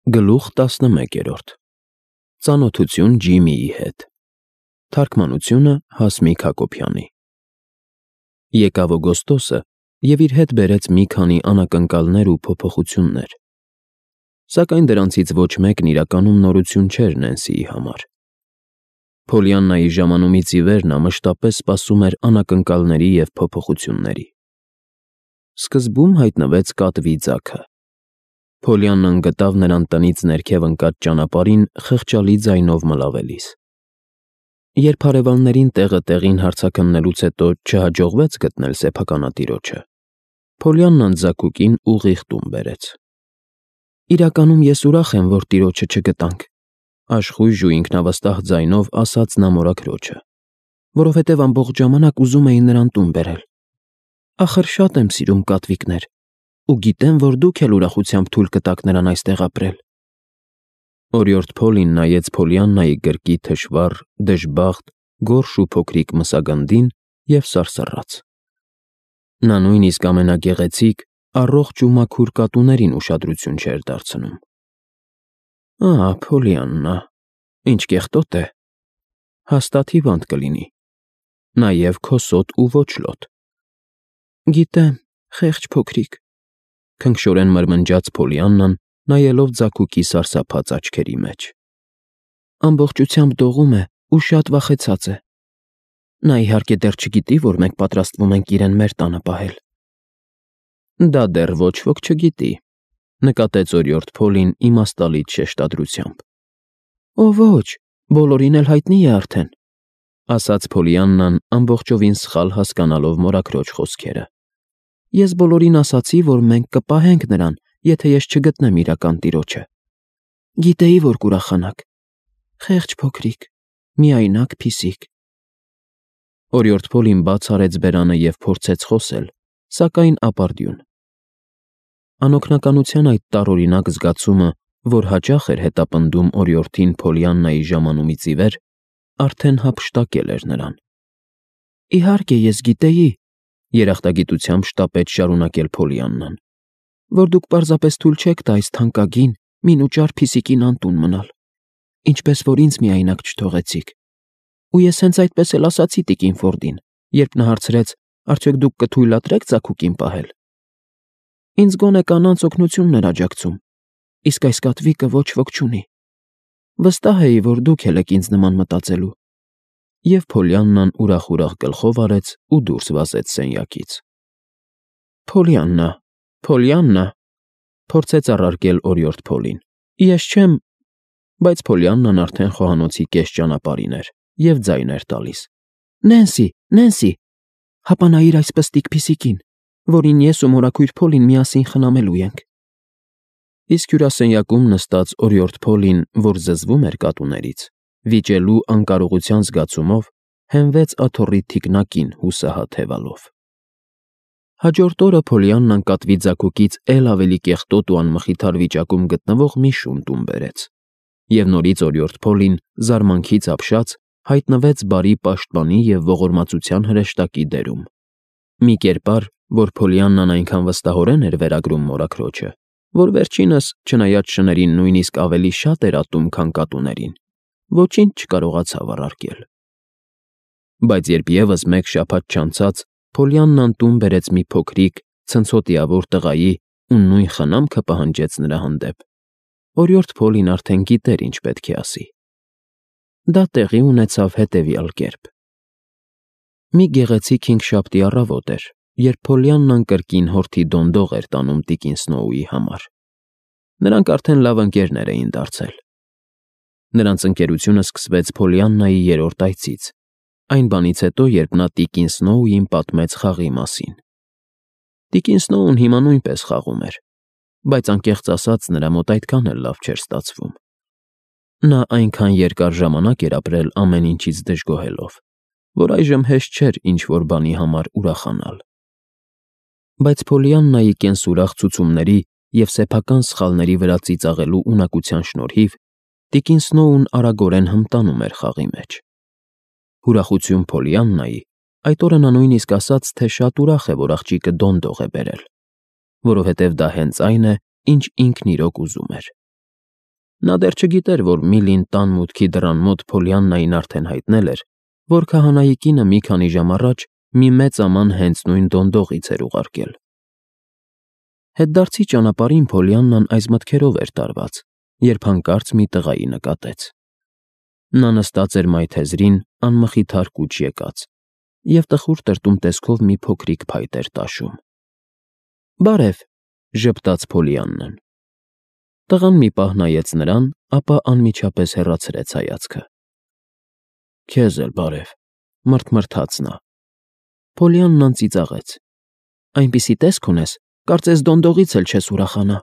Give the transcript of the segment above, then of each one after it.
Գլուխ 11 Ծանոթություն Ջիմիի հետ Թարգմանությունը Հասմիկ Հակոբյանի Եկավ օգոստոսը և իր հետ բերեց մի քանի անակնկալներ ու փոփոխություններ, սակայն դրանցից ոչ մեկն իրականում նորություն չէր Նենսիի համար։ Փոլիաննայի ժամանումից ի վեր նա մշտապես սպասում էր անակնկալների և փոփոխությունների։ Սկզբում հայտնվեց կատվի ձագը։ Փոլիաննան գտավ նրան տնից ներքև ընկած ճանապարհին խղճալի ձայնով մլավելիս։ Երբ հարևաններին տեղը տեղին հարցաքննելուց հետո չհաջողվեց գտնել սեփականատիրոջը, Փոլիաննան ձագուկին ուղիղ տուն բերեց։ «Իրականում ես ուրախ եմ, որ տիրոջը չգտանք», աշխույժ ու ինքնավստահ ձայնով ասաց նա մորաքրոջը, «որովհետև ամբողջ ժամանակ ուզում էի նրան տուն բերել։ Ախր շատ եմ սիրում կատվիկներ ու գիտեմ, որ դուք էլ ուրախությամբ թույլ կտաք նրան այստեղ ապրել»։ Օրիորդ Փոլին նայեց Փոլիաննայի գրկի թշվառ, դժբախտ, գորշ ու փոքրիկ մսագնդին և սարսռաց։ Նա նույնիսկ ամենագեղեցիկ, առողջ ու մաքուր կատուներին ուշադրություն չէր դարձնում։ «Ահա, Փոլիաննա, ինչ կեղտոտ է, հաստատ հիվանդ կլինի, նաև քոսոտ ու ոչլոտ»։ «Գիտեմ, խեղճ փոքրիկ», քնքշորեն մրմնջաց Փոլիաննան, նայելով ձագուկի սարսափած աչքերի մեջ։ «Ամբողջությամբ դողում է ու շատ վախեցած է։ Նա իհարկե դեռ չգիտի, որ մենք պատրաստվում ենք իրեն մեր տանը պահել»։ «Դա դեռ ոչ ոք չգիտի», նկատեց օրիորդ Փոլին իմաստալից շեշտադրությամբ։ «Օ ոչ, բոլորին էլ հայտնի է արդեն», ասաց Փոլիաննան, ամբողջովին սխալ հասկանալով մորաքրոջ խոսքերը։ «Ես բոլորին ասացի, որ մենք կպահենք նրան, եթե ես չգտնեմ իրական տիրոջը։ Գիտեի, որ կուրախանաք։ Խեղճ փոքրիկ, միայնակ փիսիկ»։ Օրիորդ Փոլին բաց արեց բերանը և փորձեց խոսել, սակայն ապարդյուն։ Անօգնականության այդ տարօրինակ զգացումը, որ հաճախ էր հետապնդում օրիորդին Փոլիաննայի ժամանումից ի վեր, արդեն հափշտակել էր նրան։ «Իհարկե, ես գիտեի», երախտագիտությամբ շտապեց շարունակել Փոլիաննան, «որ դուք պարզապես թույլ չեք տա այս թանկագին, մինուճար փիսիկին անտուն մնալ, ինչպես որ ինձ միայնակ չթողեցիք։ Ու ես հենց այդպես էլ ասացի տիկին Ֆորդին, երբ նա հարցրեց, արդյոք դուք կթույլատրե՞ք ձագուկին պահել։ Ինձ գոնե կանանց օգնությունն էր աջակցում, իսկ այս կատվիկը ոչ ոք չունի։ Վստահ էի, որ դուք էլ եք ինձ նման մտածելու»։ Եվ Փոլիաննան ուրախ գլխով արեց ու դուրս վազեց սենյակից։ «Փոլիաննա, Փոլիաննա», փորձեց առարկել օրիորդ Փոլին։ «Ես չեմ…» Բայց Փոլիաննան արդեն խոհանոցի կես ճանապարհին էր և ձայն էր տալիս։ «Նենսի, Նենսի, հապա նայիր այս պստիկ փիսիկին, որին ես ու մորաքույր Փոլին միասին խնամելու ենք»։ Իսկ հյուրասենյակում նստած օրիորդ Փոլին, որ զզվում էր կատուներից, վիճելու անկարողության զգացումով, հենվեց աթոռի թիկնակին հուսահատ հևալով։ Հաջորդ օրը Փոլիաննան կատվի ձագուկից էլ ավելի կեղտոտ ու անմխիթար վիճակում գտնվող մի շուն տուն բերեց, և նորից օրիորդ Փոլին, զարմանքից ապշած, հայտնվեց բարի պաշտպանի և ողորմածության հրեշտակի դերում։ Մի կերպար, որ Փոլիաննան այնքան վստահորեն էր վերագրում մորաքրոջը, որ վերջինս, չնայած շներին նույնիսկ ավելի շատ էր ատում, քան կատուներին, ոչինչ չկարողացավ առարկել։ Բայց երբ ևս մեկ շաբաթ չանցած Փոլիաննան տուն բերեց մի փոքրիկ, ցնցոտիավոր տղայի ու նույն խնամքը պահանջեց նրա հանդեպ, օրիորդ Փոլին արդեն գիտեր ինչ պետք է ասի։ Դա տեղի ունեցավ հետևյալ կերպ. Մի գեղեցիկ հինգշաբթի առավոտ էր, երբ Փոլիաննան կրկին հորթի դոնդող էր տանում տիկին Սնոուի համար։ Նրանք արդեն լավ ընկերներ էին դարձել։ Նրանց ընկերությունը սկսվեց Փոլիաննայի երրորդ այցից, այն բանից հետո, երբ նա տիկին Սնոուին պատմեց խաղի մասին։ Տիկին Սնոուն հիմա նույնպես խաղում էր, բայց անկեղծ ասած նրա մոտ այդքան էլ լավ չէր ստացվում։ Նա այնքան երկար ժամանակ էր ապրել ամեն ինչից դժգոհելով, որ այժմ հեշտ չէր ինչ-որ բանի համար ուրախանալ։ Բայց Փոլիաննայի կենսուրախ ցուցումների և սեփական սխալների վրա ծիծաղելու ունակության շնորհիվ տիկին Սնոուն արագորեն հմտանում էր խաղի մեջ։ Ուրախություն Փոլիաննայի, այդ օրը նա նույնիսկ ասաց, թե շատ ուրախ է, որ աղջիկը դոնդող է բերել, որովհետև դա հենց այն է, ինչ ինքն իրոք ուզում էր։ Նա դեռ չգիտեր, որ Միլին տան մուտքի դռան մոտ Փոլիաննային արդեն հայտնել էր, որ քահանայի կինը մի քանի ժամ առաջ մի մեծ աման հենց նույն դոնդողից էր ուղարկել։ Հետդարձի ճանապարհին Փոլիաննան այս մտքերով էր տարված, երբ հանկարծ մի տղայի նկատեց։ Նա նստած էր մայթեզրին, անմխիթար կուչ եկած, և տխուր տրտում տեսքով մի փոքրիկ փայտ էր տաշում։ «Բարև», ժպտաց Փոլիաննան։ Տղան մի պահ նայեց նրան, ապա անմիջապես հեռացրեց հայացքը։ «Քեզ էլ բարև», մռթմռթաց նա։ Փոլիաննան ծիծաղեց։ «Այնպիսի տեսք ունես, կարծես դոնդողից էլ չես ուրախանա»,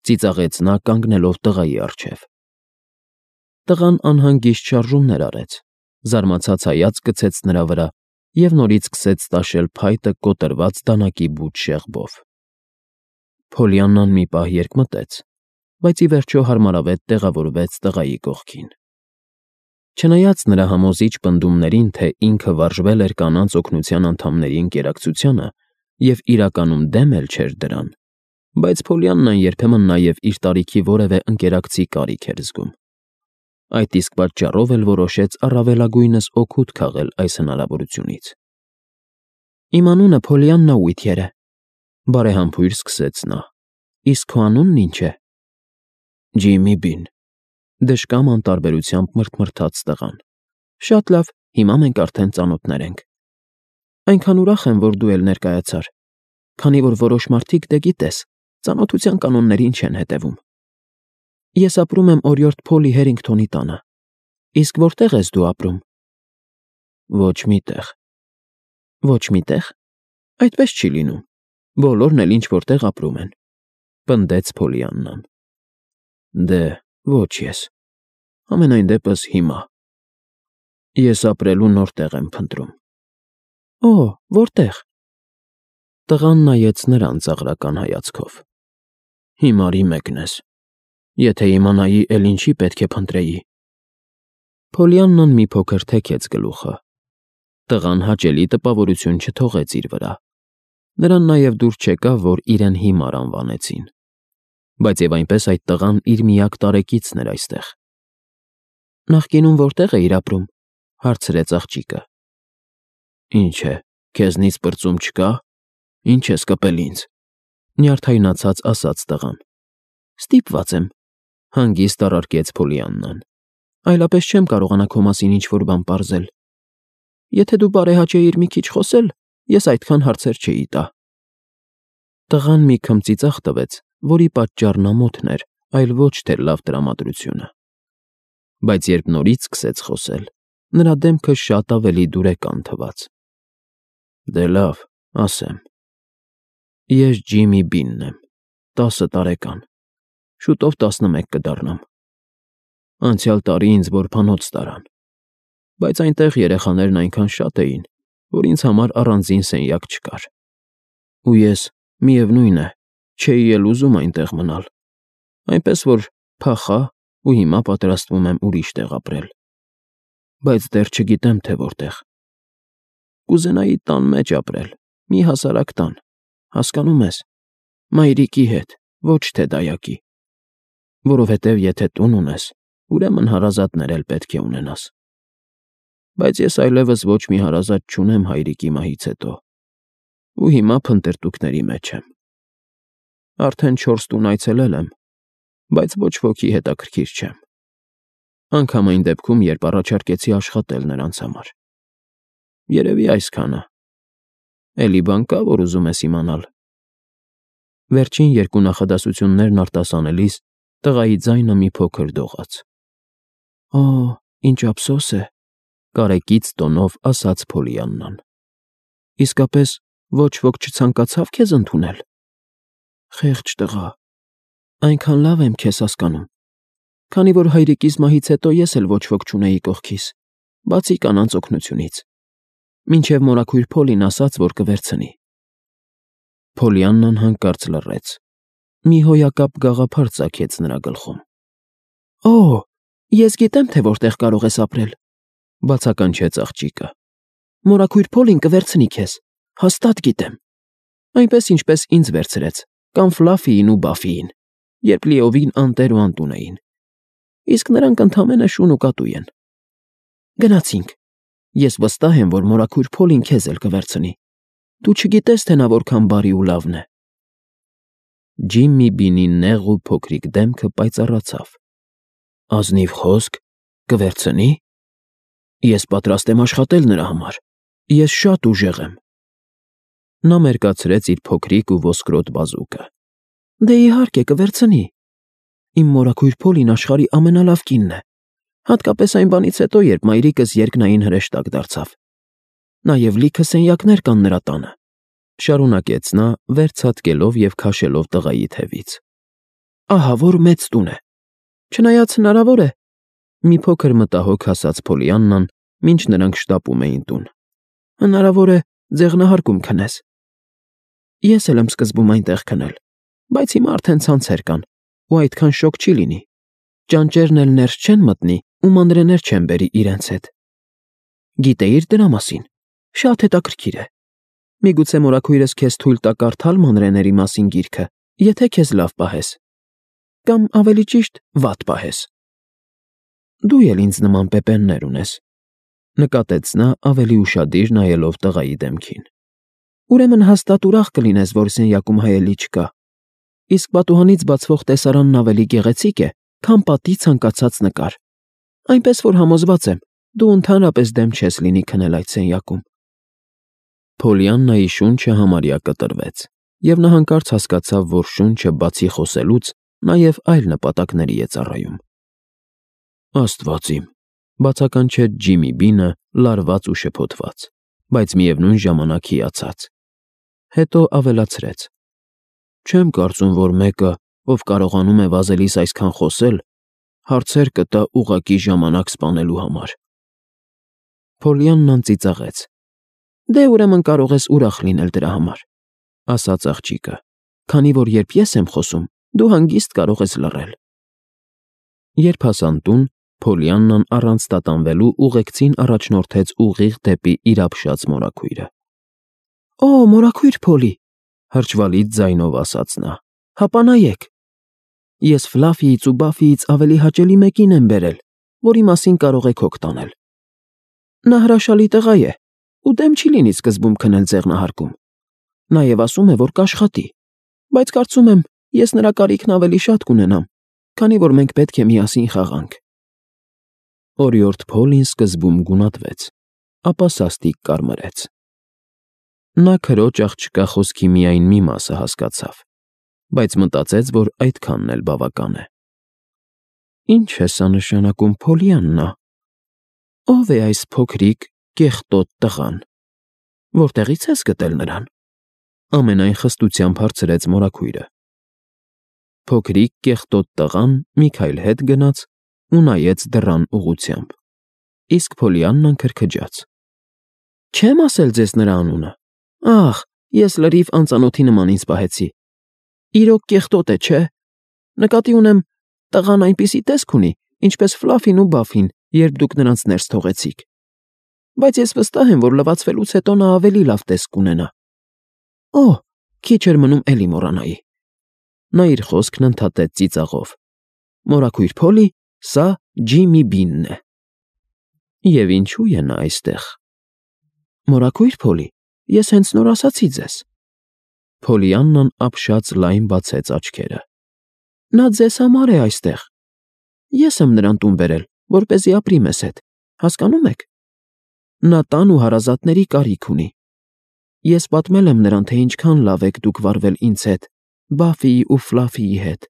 ծիծաղեց նա, կանգնելով տղայի առջև։ Տղան անհանգիստ շարժումներ արեց, զարմացած հայացք գցեց նրա վրա և նորից սկսեց տաշել փայտը կոտրված դանակի բուչ շեղբով։ Փոլիաննան մի պահ երկմտեց, բայց ի վերջո հարմարավետ տեղավորվեց տղայի կողքին։ Չնայած նրա համոզիչ պնդումներին, թե ինքը վարժվել էր կանանց օգնության անդամների ընկերակցությանը և իրականում դեմ էլ չէր դրան, բայց Փոլիաննան երբեմն նաև իր տարիքի որևէ ընկերակցի կարիք էր զգում։ Այդ իսկ պատճառով էլ որոշեց առավելագույնս օգուտ քաղել այս հնարավորությունից։ «Իմ անունը Փոլիաննա Ուիթյեր է», բարեհամբույր սկսեց նա։ «Իսկ քո անունն ինչ է»։ «Ջիմի Բին», դժկամ անտարբերությամբ մռթմռթաց տղան։ «Շատ լավ, հիմա մենք արդեն ծանոթներ ենք։ Այնքան ուրախ եմ, որ դու էլ ներկայացար, քանի որ որոշ մարդիկ, դե գիտես, ծանոթության կանոններին չեն հետևում։ Ես ապրում եմ օրիորդ Փոլի Հերինգթոնի տանը։ Իսկ որտեղ ես դու ապրում»։ «Ոչ մի տեղ»։ «Ոչ մի տեղ։ Այդպես չի լինում։ Բոլորն էլ ինչ-որ տեղ ապրում են», պնդեց Փոլիաննան։ «Դե, ոչ ես։ Համենայն դեպս հիմա։ Ես ապրելու նոր տեղ եմ փնտրում»։ «Օ, որտեղ»։ Տղան նայեց նրան ծաղրական հայացքով։ «Հիմարի մեկն ես։ Եթե իմանայի, էլ ինչի պետք է փնտրեի»։ Փոլիաննան մի փոքր թեքեց գլուխը։ Տղան հաճելի տպավորություն չթողեց իր վրա։ Նրան նաև դուր չեկավ, որ իրեն հիմար անվանեցին։ Բայց և այնպես այդ տղան իր միակ տարեկիցն էր այստեղ։ «Նախկինում որտեղ էիր ապրում»։ Հարցրեց աղջիկը։ «Ինչ է, քեզնից պրծում չկա։ Ինչ ես կպել ինձ»։ Նյարդայնացած ասաց տղան։ «Ստիպված եմ», հանգիստ առարկեց Փոլիաննան։ «Այլապես չեմ կարողանա քո մասին ինչ-որ բան պարզել։ Եթե դու բարեհաճեիր մի քիչ խոսել, ես այդքան հարցեր չէի տա»։ Տղան մի քմծիծաղ տվեց, որի պատճառն ամոթն էր, այլ ոչ թե լավ տրամադրությունը։ Բայց երբ նորից սկսեց խոսել, նրա դեմքը շատ ավելի դուրեկան թվաց։ «Դե լավ, ասեմ։ Ես Ջիմի Բինն եմ, 10 տարեկան, շուտով 11 կդառնամ։ Անցյալ տարի ինձ որբանոց տարան, բայց այնտեղ երեխաներն այնքան շատ էին, որ ինձ համար առանձին սենյակ չկար։ Ու ես, միևնույն է, չէի էլ ուզում այնտեղ մնալ, այնպես որ փախա ու հիմա պատրաստվում եմ ուրիշ տեղ ապրել։ Բայց դեռ չգիտեմ, թե որտեղ։ Կուզենայի տան մեջ ապրել, մի հասարակ տան, հասկանո՞ւմ ես, մայրիկի հետ, ոչ թե դայակի։ Որովհետև եթե տուն ունես, ուրեմն հարազատներ էլ պետք է ունենաս։ Բայց ես այլևս ոչ մի հարազատ չունեմ հայրիկի մահից հետո, ու հիմա փնտրտուքների մեջ եմ։ Արդեն 4 տուն այցելել եմ, բայց ոչ ոքի հետաքրքիր չեմ։ Անգամ այն դեպքում, երբ առաջարկեցի աշխատել նրանց համար։ Երևի այսքանը։ Էլի բան կա, որ ուզում ես իմանալ։ Վերջին երկու նախադասություններն արտասանելիս տղայի ձայնը մի փոքր դողաց։ «Օ, ինչ ափսոս է», կարեկից տոնով ասաց Փոլիաննան։ «Իսկապես ոչ ոք չցանկացավ քեզ ընդունել»։ «Խեղճ տղա, այնքան լավ եմ քեզ հասկանում, քանի որ հայրիկիս մահից հետո ես էլ ոչ ոք չունեի կողքիս, բացի կանանց օգնությունից, մինչև մորաքույր Փոլին ասաց, որ կվերցնի»։ Փոլիաննան հանկարծ լռեց։ Մի հոյակապ գաղափար ծագեց նրա գլխում։ «Օ, ես գիտեմ, թե որտեղ կարող ես ապրել», բացականչեց աղջիկը։ «Մորաքույր Փոլին կվերցնի քեզ, հաստատ գիտեմ։ Այնպես, ինչպես ինձ վերցրեց, կամ Ֆլաֆիին ու Բաֆիին, երբ լիովին անտեր ու անտուն էին, իսկ նրանք ընդամենը շուն ու կատու են։ Գնացինք։ Ես վստահ եմ, որ մորաքույր Փոլին քեզ էլ կվերցնի։ Դու չգիտես, թե նա որքան բարի ու լավն է։ Ջիմմի Բինի նեղ ու փոքրիկ դեմքը պայծառացավ։ Ազնիվ խոսք, կվերցնի։ Ես պատրաստ եմ աշխատել նրա համար։ Ես շատ ուժեղ եմ։ Նա մերկացրեց իր փոքրիկ ու ոսկրոտ բազուկը։ Դե իհարկե կվերցնի։ Իմ մորաքույր Փոլին աշխարհի ամենալավ կինն է, հատկապես այն բանից հետո, երբ մայրիկս երկնային հրեշտակ դարձավ։ Նաև լիքը սենյակներ կան նրա տանը, շարունակեց նա, վեր ցատկելով և քաշելով տղայի թևից։ Ահա որ մեծ տուն է։ Չնայած հնարավոր է, մի փոքր մտահոգ ասաց Փոլիաննան, մինչ նրանք շտապում էին տուն։ Հնարավոր է ձեղնահարկում քնես։ Ես էլ եմ սկզբում այնտեղ քնել, բայց հիմա արդեն ցանցեր կան, ու այդքան շոգ չի լինի։ Ճանճերն էլ ներս չեն մտնի ու մանրեներ չեն բերի իրենց հետ։ Գիտեիր դրա մասին։ Շատ հետաքրքիր է։ Միգուցե մորաքույրս քեզ թույլ տա կարդալ մանրեների մասին գիրքը, եթե քեզ լավ պահես։ Կամ ավելի ճիշտ, վատ պահես։ Դու էլ ինձ նման պեպեններ ունես, նկատեց նա ավելի ուշադիր նայելով տղայի դեմքին։ Ուրեմն հաստատ ուրախ կլինես, որ սենյակում հայելի չկա։ Իսկ պատուհանից բացվող տեսարանն ավելի գեղեցիկ է, քան պատի ցանկացած նկար։ Այնպես որ համոզված եմ, դու ընդհանրապես դեմ չես լինի քնել այդ սենյակում։ Փոլիաննայի շունչը համարյա կտրվեց, և նա հանկարծ հասկացավ, որ շունչը բացի խոսելուց նաև այլ նպատակների է ծառայում։ Աստված իմ, բացականչեց Ջիմի Բինը լարված ու շփոթված, բայց միևնույն ժամանակ հիացած։ Հետո ավելացրեց. Չեմ կարծում, որ մեկը, ով կարողանում է վազելիս այսքան խոսել, հարցեր կտա ուղղակի ժամանակ սպանելու համար։ Փոլիաննան ծիծաղեց. Դե ուրեմն կարող ես ուրախ լինել դրա համար, ասաց աղջիկը, քանի որ երբ ես եմ խոսում, դու հանգիստ կարող ես լռել։ Երբ հասան տուն, Փոլիաննան առանց տատանվելու ուղեկցին առաջնորդեց ուղիղ դեպի իր ապշած մորաքույրը։ Օ, մորաքույր Փոլի, հրճվալից ձայնով ասաց նա, հապա նայեք։ Ես Ֆլաֆիից ու Բաֆիից ավելի հաճելի մեկին եմ բերել, որի մասին կարող եք հոգ տանել։ Նա հրաշալի տղա է, ու դեմ չի լինի սկզբում քնել ձեղնահարկում։ Նաև ասում է, որ կաշխատի, բայց կարծում եմ, ես նրա կարիքն ավելի շատ կունենամ, քանի որ մենք պետք է միասին խաղանք։ Օրիորդ Փոլին սկզբում գունատվեց, ապա սաստիկ կարմրեց։ Նա քրոջ աղջկա խոսքի միայն մի մասը հասկացավ, բայց մտածեց, որ այդքանն էլ բավական է։ Ինչ է սա նշանակում, Փոլիաննա։ Ո՞վ է այս փոքրիկ, կեղտոտ տղան։ Որտեղից ես գտել նրան։ Ամենայն խստությամբ հարցրեց մորաքույրը։ Փոքրիկ կեղտոտ տղան մի քայլ հետ գնաց ու նայեց դռան ուղղությամբ։ Իսկ Փոլիաննան քրքջաց. Չեմ ասել ձեզ նրա անունը։ Ախ, ես լրիվ անծանոթի նման ինձ պահեցի։ Իրոք կեղտոտ է, չէ։ Նկատի ունեմ, տղան այնպիսի տեսք ունի, ինչպես Ֆլաֆին ու Բաֆին, երբ դուք նրանց ներս թողեցիք։ Բայց ես վստահ եմ, որ լվացվելուց հետո նա ավելի լավ տեսք կունենա։ Օ, քիչ էր մնում էլի մոռանայի։ Նա իր խոսքն ընդհատեց ծիծաղով։ Մորաքույր Փոլի, սա Ջիմի Բինն է։ Եվ ինչու է նա այստեղ։ Մորաքույր Փոլի, ես հենց նոր ասացի ձեզ։ Փոլիաննան ապշած լայն բացեց աչքերը։ Նա ձեզ համար է այստեղ։ Ես եմ նրան տուն բերել, որպեսզի ապրի մեզ հետ, հասկանում եք։ Նա տան ու հարազատների կարիք ունի։ Ես պատմել եմ նրան, թե ինչքան լավ եք դուք վարվել ինձ հետ, Բաֆիի ու Ֆլաֆիի հետ,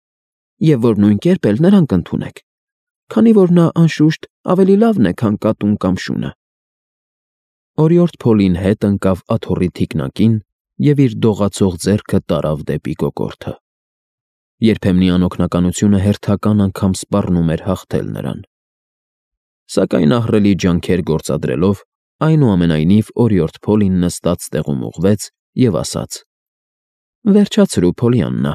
և որ նույն կերպ էլ նրան կընդունեք, քանի որ նա, անշուշտ, ավելի լավն է, քան կատուն կամ շունը։ Օրիորդ Փոլին հետ ընկավ աթոռի թիկնակին և իր դողացող ձեռքը տարավ դեպի կոկորդը։ Երբեմնի անօգնականությունը հերթական անգամ սպառնում էր հաղթել նրան։ Սակայն ահռելի ջանքեր գործադրելով, այնուամենայնիվ օրիորդ Փոլին նստած տեղում ուղղվեց և ասաց. Վերջացրու, Փոլիաննա։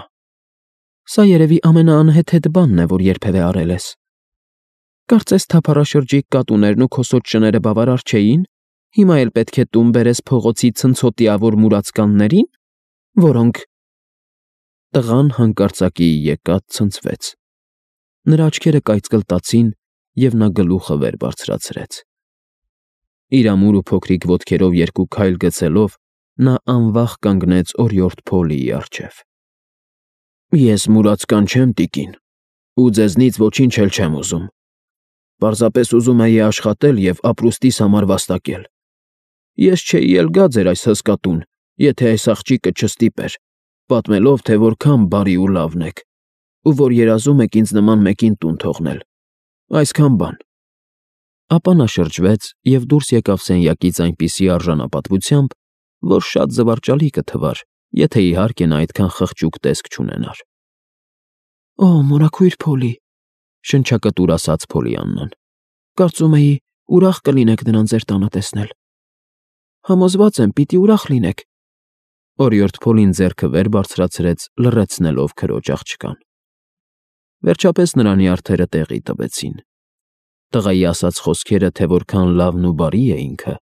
Սա երևի ամենաանհեթեթ բանն է, որ երբևէ արել ես։ Կարծես թափառաշրջիկ կատուներն ու քոսոտ շները բավարար չէին, հիմա էլ պետք է տուն բերես փողոցի ցնցոտիավոր մուրացկաններին, որոնք… Տղան հանկարծակի եկած ցնցվեց։ Նրա աչքերը կայծկլտացին, և նա գլուխը վեր բարձրացրեց։ Իր ամուր ու փոքրիկ ոտքերով երկու քայլ գցելով, նա անվախ կանգնեց օրիորդ Փոլիի առջև։ Ես մուրացկան չեմ, տիկին, ու ձեզնից ոչինչ էլ չեմ ուզում։ Պարզապես ուզում էի աշխատել և ապրուստիս համար վաստակել։ Ես չէի էլ գա ձեր այս հսկա տուն, եթե այս աղջիկը չստիպեր, պատմելով, թե որքան բարի ու լավն եք, ու որ երազում եք ինձ նման մեկին տուն թողնել։ Այսքան բան։ Ապա նա շրջվեց և դուրս եկավ սենյակից այնպիսի արժանապատվությամբ, որ շատ զվարճալի կթվար, եթե իհարկե նա այդքան խղճուկ տեսք չունենար։ Օ, մորաքույր Փոլի, շնչակտուր ասաց Փոլիաննան։ Կարծում էի, ուրախ կլինեք նրան ձեր տանը տեսնել։ Համոզված եմ, պիտի ուրախ լինեք։ Օրիորդ Փոլին ձեռքը վեր բարձրացրեց, լռեցնելով քրոջ աղջկան։ Վերջապես նրա նյարդերը տեղի տվեցին։ Տղայի ասած խոսքերը, թե որքան լավն ու բարի է ինքը,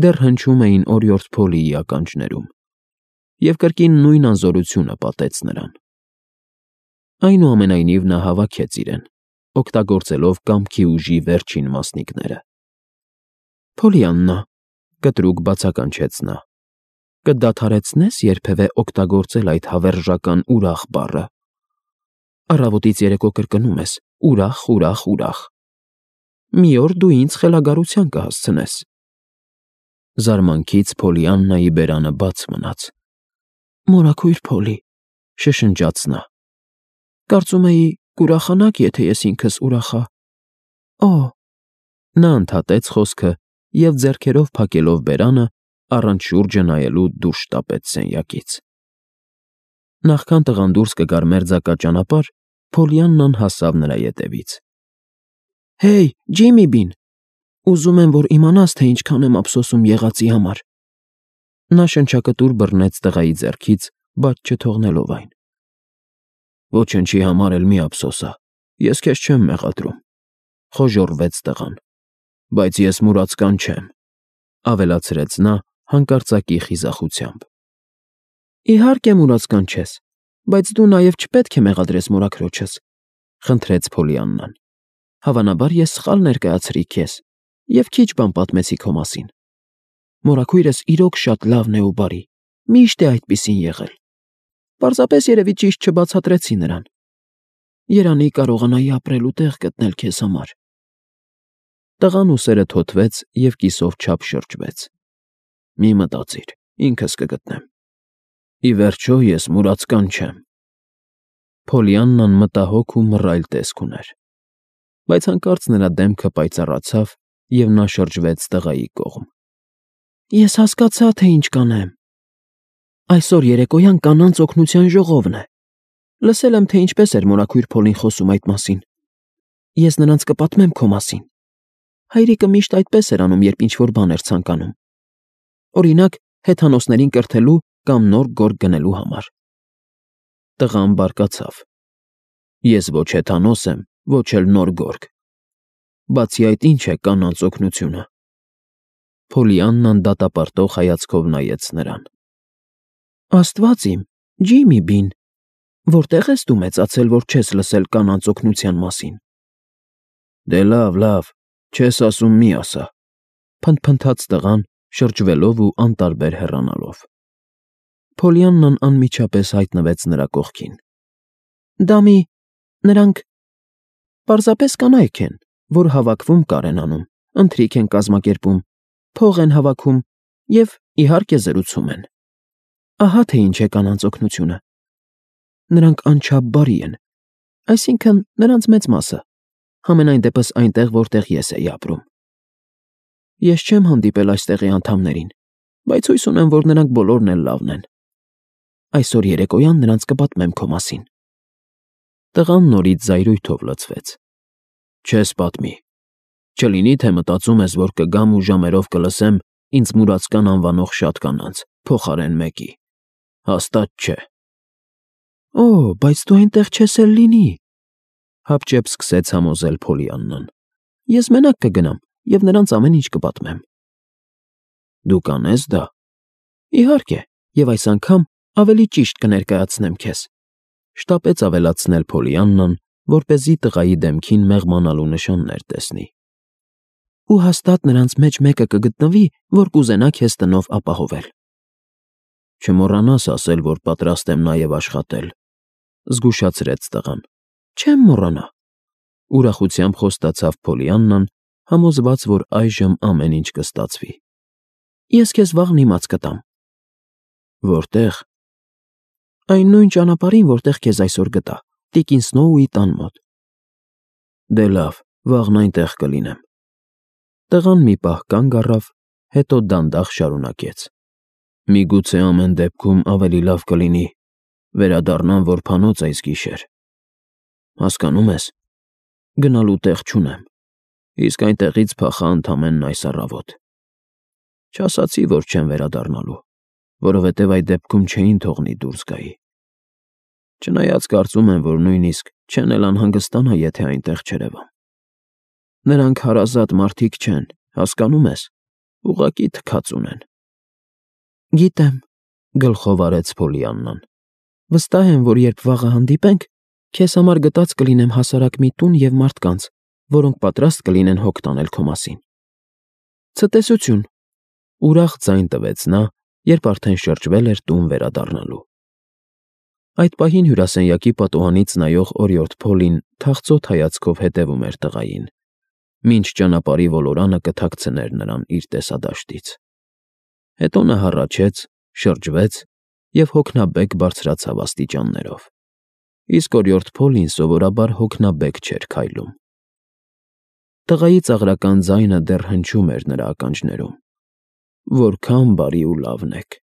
դեռ հնչում էին օրիորդ Փոլիի ականջներում, և կրկին նույն անզորությունը պատեց նրան։ Այնուամենայնիվ նա հավաքեց իրեն, օգտագործելով կամքի ուժի վերջին մասնիկները։ Փոլիաննա, կտրուկ բացականչեց նա, կդադարեցնես երբևէ օգտագործել այդ հավերժական ուրախ բառը։ Առավոտից երեկո կրկնում ես. ուրախ, ուրախ, ուրախ։ Մի օր դու ինձ խելագարության կհասցնես։ Զարմանքից Փոլիաննայի բերանը բաց մնաց։ Մորաքույր Փոլի, շշնջաց նա։ Կարծում էի, կուրախանաք, եթե ես ինքս ուրախա։ Օ։ Նա ընդհատեց խոսքը և ձեռքերով փակելով բերանը, առանց շուրջը նայելու դուրս շտապեց սենյակից։ Նախքան տղան դուրս կգար մերձակա ճանապարհ, Փոլիաննան հասավ նրա ետևից։ Հեյ, Ջիմի բին, ուզում եմ, որ իմանաս, թե ինչքան եմ ափսոսում եղածի համար։ Նա շնչակտուր բռնեց տղայի ձեռքից, բայց չթողնելով այն։ Ոչնչի համար էլ մի ափսոսա, ես քեզ չեմ մեղադրում, խոժոռվեց տղան։ Բայց ես մուրացկան չեմ, ավելացրեց նա հանկարծակի խիզախությամբ։ Իհարկե մուրացկան չես, բայց դու նաև չպետք է մեղադրես մորաքրոջս, խնդրեց Փոլիաննան։ Հավանաբար ես սխալ ներկայացրի քեզ և քիչ բան պատմեցի քո մասին։ Մորաքույրս իրոք շատ լավն է ու բարի, միշտ է այդպիսին եղել։ Պարզապես երևի ճիշտ չբացատրեցի նրան։ Երանի կարողանայի ապրելու տեղ գտնել քեզ համար։ Տղան ուսերը թոթվեց և կիսով չափ շրջվեց։ Մի մտածիր, ինքս կգտնեմ։ Ի վերջո ես մուրացկան չեմ։ Փոլիաննան մտահոգ ու մռայլ տեսք ուներ, բայց հանկարծ նրա դեմքը պայծառացավ, և նա շրջվեց տղայի կողմ։ Ես հասկացա, թե ինչ կանեմ։ Այսօր երեկոյան կանանց օգնության ժողովն է։ Լսել եմ, թե ինչպես էր մորաքույր Փոլին խոսում այդ մասին։ Ես նրանց կպատմեմ քո մասին։ Հայրիկը միշտ այդպես էր անում, երբ ինչ-որ բան էր ցանկանում։ Օրինակ, հեթանոսներին կրթելու կամ նոր գորգ գնելու համար։ Տղան բարկացավ։ Ես ոչ հեթանոս եմ, ոչ էլ նոր գորգ։ Բացի այդ, ինչ է կանանց օգնությունը։ Փոլիաննան դատապարտող հայացքով նայեց նրան։ Աստված իմ, Ջիմի բին, որտե՞ղ ես դու մեծացել, որ չես լսել կանանց օգնության մասին։ Դե լավ, չես ասում մի ասա, փնթփնթաց տղան, շրջվելով ու անտարբեր հեռանալով։ Փոլիաննան անմիջապես հայտնվեց նրա կողքին։ Նրանք պարզապես կանայք են, որ հավաքվում կար են անում, ընթրիք են կազմակերպում, փող են հավաքում և, իհարկե, զրուցում են։ Ահա թե ինչ է կանանց օգնությունը։ Նրանք անչափ բարի են, այսինքն նրանց մեծ մասը, համենայն դեպս այնտեղ, որտեղ ես էի ապրում։ Ես չեմ հանդիպել այստեղի անդամներին, բայց հույս ունեմ, որ նրանք բոլորն էլ լավն են։ Այսօր երեկոյան նրանց կպատմեմ քո մասին։ Տղան նորից զայրույթով լցվեց։ Չես պատմի։ Չլինի, թե մտածում ես, որ կգամ ու ժամերով կլսեմ ինձ մուրացկան անվանող շատ կանանց, փոխարեն մեկի։ Հաստատ չէ։ Օ, բայց դու այնտեղ չես էլ լինի, հապճեպ սկսեց համոզել Փոլիաննան։ Ես մենակ կգնամ և նրանց ամեն ինչ կպատմեմ։ Դու կանես դա։ Իհարկե, և այս անգամ ավելի ճիշտ կներկայացնեմ քեզ, շտապեց ավելացնել Փոլիաննան, որպեսզի տղայի դեմքին մեղմանալու նշաններ տեսնի։ Ու հաստատ նրանց մեջ մեկը կգտնվի, որ կուզենա քեզ տնով ապահովել։ Չմոռանաս ասել, որ պատրաստ եմ նաև աշխատել, զգուշացրեց տղան։ Չեմ մոռանա, ուրախությամբ խոստացավ Փոլիաննան, համոզված, որ այժմ ամեն ինչ կստացվի։ Ես քեզ վաղն իմաց կտամ։ Որտե՞ղ։ Այն նույն ճանապարհին, որտեղ քեզ այսօր գտա, տիկին Սնոուի տան մոտ։ Դե լավ, վաղն այնտեղ կլինեմ։ Տղան մի պահ կանգ առավ, հետո դանդաղ շարունակեց. Միգուցե ամեն դեպքում ավելի լավ կլինի վերադառնամ որբանոց այս գիշեր։ Հասկանում ես, գնալու տեղ չունեմ, իսկ այնտեղից փախա ընդամենն այս առավոտ։ Չասացի, որ չեմ վերադառնալու, որովհետև այդ դեպքում չէին թողնի դուրս գայի։ Չնայած կարծում եմ, որ նույնիսկ չեն էլ անհանգստանա, եթե այնտեղ չերևամ։ Նրանք հարազատ մարդիկ չեն, հասկանում ես, ուղղակի թքած ունեն։ Գիտեմ, գլխով արեց Փոլիաննան։ Վստահ եմ, որ երբ վաղը հանդիպենք, քեզ համար գտած կլինեմ հասարակ մի տուն և մարդկանց, որոնք պատրաստ կլինեն հոգ տանել քո մասին։ Ցտեսություն, ուրախ ձայն տվեց նա, երբ արդեն շրջվել էր տուն վերադառնալու։ Այդ պահին հյուրասենյակի պատուհանից նայող օրիորդ Փոլին թախծոտ հայացքով հետևում էր տղային, մինչ ճանապարհի ոլորանը կթաքցներ նրան իր տեսադաշտից։ Հետո նա հառաչեց, շրջվեց և հոգնաբեկ բարձրացավ աստիճաններով։ Իսկ օրիորդ Փոլին սովորաբար հոգնաբեկ չէր քայլում։ Տղայի ծաղրական ձայնը դեռ հնչում էր նրա ականջներում. Որքան բարի ու լավն եք։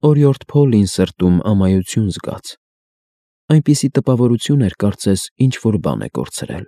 Օրիորդ Փոլին սրտում ամայություն զգաց։ Այնպիսի տպավորություն էր, կարծես ինչ-որ բան է կորցրել։